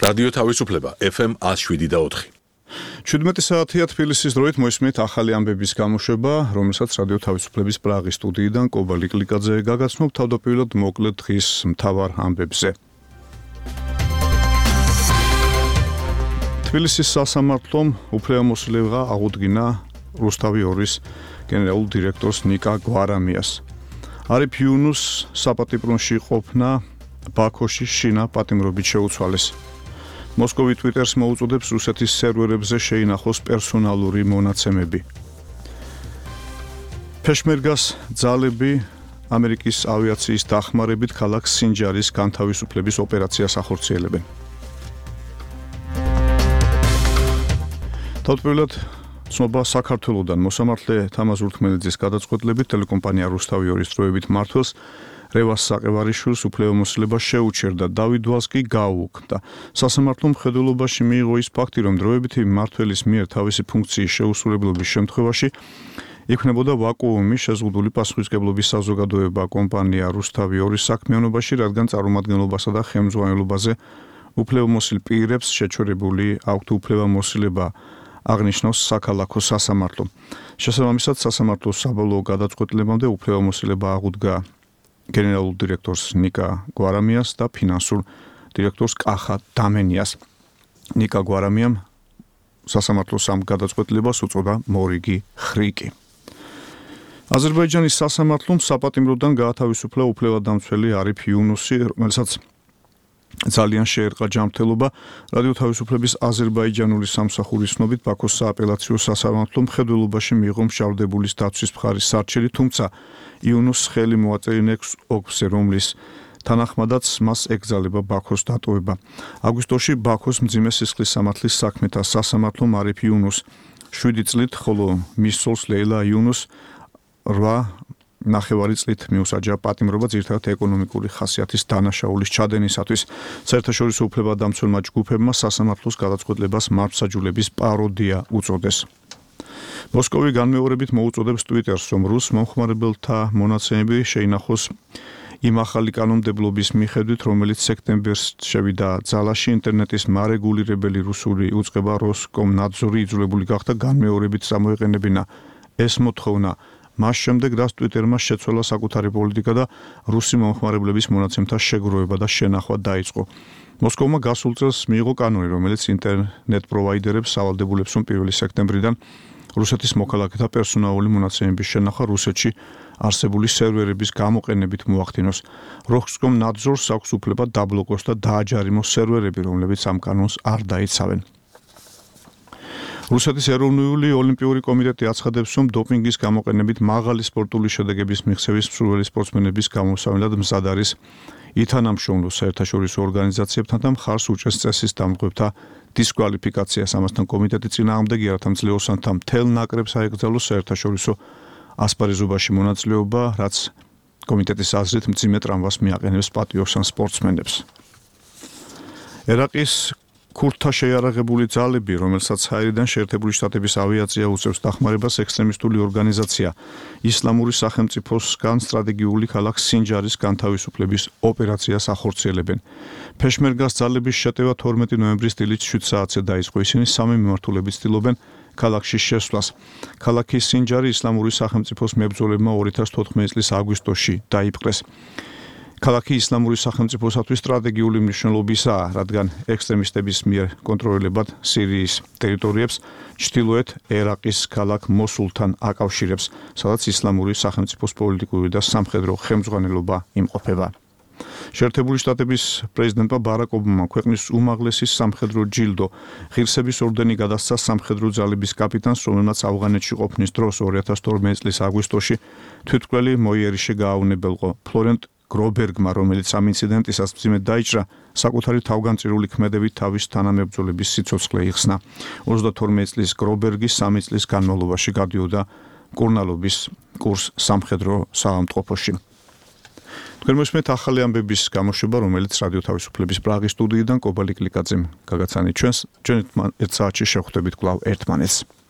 რადიო თავისუფლება FM 107.4. 17 საათია თბილისის დროით მოისმენთ ახალი ამბების გამოშვება, რომელსაც რადიო თავისუფლების პრაღის სტუდიიდან კობა ლიკლიკაძე გაგაცნობ თავდაპირველად მოკლედ დღის მთავარ ამბებზე. თბილისის სასამართლომ უფლებამოსილება აღუდგინა რუსთავი 2-ის გენერალურ დირექტორს ნიკა გვარამიას. არიფ იუნუს საპატიმროში ყოფნა ბაქოში შინა პატიმრობით შეუცვალეს. მოსკოვი ტვიტერს მოუწოდებს რუსეთის სერვერებზე შეინახოს პერსონალური მონაცემები. ფეშმერგას ძალები ამერიკის ავიაციის დახმარებით ქალაქ სინჯარის განთავისუფლების ოპერაციას ახორციელებენ. თავდაპირველად ცნობა საქართველოდან მოსამართლე თამაზ ურთმელიძის გადაწყვეტილებით ტელეკომპანია რუსთავი 2-ის დროებით მმართველს რევას საყევარიშვილს უფლებამოსილება შეუჩერდა, დავით ვალს კი გაუუქმდა. სასამართლო მხედველობაში მიიღო ის ფაქტი, რომ დროებითი მმართველის მიერ თავისი ფუნქციის შეუსრულებლობის შემთხვევაში იქმნებოდა ვაკუუმი შეზღუდული პასუხისმგებლობის საზოგადოება კომპანია რუსთავი 2-ის საქმიანობაში, რადგან წარმომადგენლობასა და ხელმძღვანელობაზე უფლებამოსილ პირებს შეჩერებული აქვთ უფლებამოსილება აღნიშნავს საქალაქო სასამართლო. შესაბამისად, სასამართლოს საბოლოო გადაწყვეტილებამდე უფლებამოსილება აღუდგა გენერალურ დირექტორს ნიკა გვარამიას და ფინანსურ დირექტორს კახა დამენიას. ნიკა გვარამიამ სასამართლოს ამ გადაწყვეტილებას უწოდა მორიგი ხრიკი. აზერბაიჯანის სასამართლომ საპატიმროდან გაათავისუფლა უფლებადამცველი არიფ იუნუსი, რომელსაც ძალიან შეერყა ჯანმრთელობა. რადიო თავისუფლების აზერბაიჯანული სამსახურის ცნობით ბაქოს სააპელაციო სასამართლომ მხედველობაში მიიღო მშავდებულის დაცვის მხარის სარჩელი, თუმცა იუნუსს ხელი მოაწერია ოქზე, რომლის თანახმადაც მას ეკრძალება ბაქოს დატოვება. აგვისტოში ბაქოს მძიმე სისხლის სამართლის საქმეთა სასამართლომ არიფ იუნუსს 7 წლით, ხოლო მის ცოლს ლეილა იუნუსს 8.5 წლით მიუსაჯა პატიმრობა ძირითადად ეკონომიკური ხასიათის დანაშაულის ჩადენისათვის. საერთაშორისო უფლებადამცველმა ჯგუფებმა სასამართლოს გადაწყვეტილებას მართლმსაჯულების პაროდია უწოდეს. მოსკოვი განმეორებით მოუწოდებს ტვიტერს, რომ რუს მომხმარებელთა მონაცემები შეინახოს იმ ახალი კანონმდებლობის მიხედვით, რომელიც სექტემბერს შევიდა ძალაში. ინტერნეტის მარეგულირებელი რუსული უწყება როსკომნადზორი იძულებული გახდა განმეორებით წამოეყენებინა ეს მოთხოვნა. მას შემდეგ, რაც ტვიტერმა შეცვალა საკუთარი პოლიტიკა და რუსი მომხმარებლების მონაცემთა შეგროვება და შენახვა დაიწყო. მოსკოვმა გასულ წელს მიიღო კანონი, რომელიც ინტერნეტ პროვაიდერებს სავალდებულებს, რომ 1 სექტემბრიდან რუსეთის მოქალაქეთა პერსონალური მონაცემების შენახვა რუსეთში არსებული სერვერების გამოყენებით მოახდინოს. როსკომნადზორს აქვს უფლება დაბლოკოს და დააჯარიმოს სერვერები, რომლებიც ამ კანონს არ დაიცავენ. რუსეთის ეროვნული ოლიმპიური კომიტეტი აცხადებს, რომ დოპინგის გამოყენებით მაღალი სპორტული შედეგების მიღწევის მსურველი სპორტსმენების გამოსავალად მზად არის ითანამშრომლო საერთაშორისო ორგანიზაციებთან და მხარს უჭერს წესის დამღებთა დისკვალიფიკაციას. ამასთან კომიტეტი წინააღმდეგია, რათა მძლეოსანთა მთელ ნაკრებს აეკრძალოს საერთაშორისო ასპარეზობაში მონაწილეობა, რაც კომიტეტის აზრით მძიმე ტრამვას მიაყენებს პატიოსან სპორტსმენებს. ერაყის ქურთთა შეიარაღებული ძალები, რომელსაც საირიდან შეერთებული შტატების ავიაცია უწევს დახმარებას, ექსტრემისტული ორგანიზაცია ისლამური სახელმწიფოსგან სტრატეგიული ქალაქ სინჯარის განთავისუფლების ოპერაციას ახორციელებენ. ფეშმერგას ძალების შეტევა 12 ნოემბრის დილით 7 საათზე დაიწყო. ისინი სამი მიმართულებით ცდილობენ ქალაქში შესვლას. ქალაქი სინჯარი ისლამური სახელმწიფოს მებრძოლებმა 2014 წლის აგვისტოში დაიპყრეს. ქალაქი ისლამური სახელმწიფოსათვის სტრატეგიული მნიშვნელობისაა, რადგან ექსტრემისტების მიერ კონტროლირებად სირიის ტერიტორიებს ჩრდილოეთ ერაყის ქალაქ მოსულთან აკავშირებს, სადაც ისლამური სახელმწიფოს პოლიტიკური და სამხედრო ხელმძღვანელობა იმყოფება. შეერთებული შტატების პრეზიდენტმა ბარაკ ობამამ ქვეყნის უმაღლესი სამხედრო ჯილდო ღირსების ორდენი გადასცა სამხედრო ძალების კაპიტანს, რომელმაც ავღანეთში ყოფნის დროს 2012 წლის აგვისტოში თვითმკვლელი მოიერიშე გააუნებელყო. ფლორენტ გრობერგმა, რომელიც ამ ინციდენტისას მძიმედ დაიჭრა, საკუთარი თავგანწირული ქმედებით თავის თანამებრძოლების სიცოცხლე იხსნა. 32 წლის გრობერგი 3 წლის განმავლობაში გადიოდა მკურნალობის კურსს სამხედრო საავადმყოფოში. თქვენ მოსმენთ ახალი ამბების გამოშვება, რომელიც რადიო თავისუფლების პრაღის სტუდიიდან კობა ლიკლიკაძემ გაგაცანით ჩვენს. ჩვენ ერთ საათში შევხვდებით კვლავ ერთმანეთს.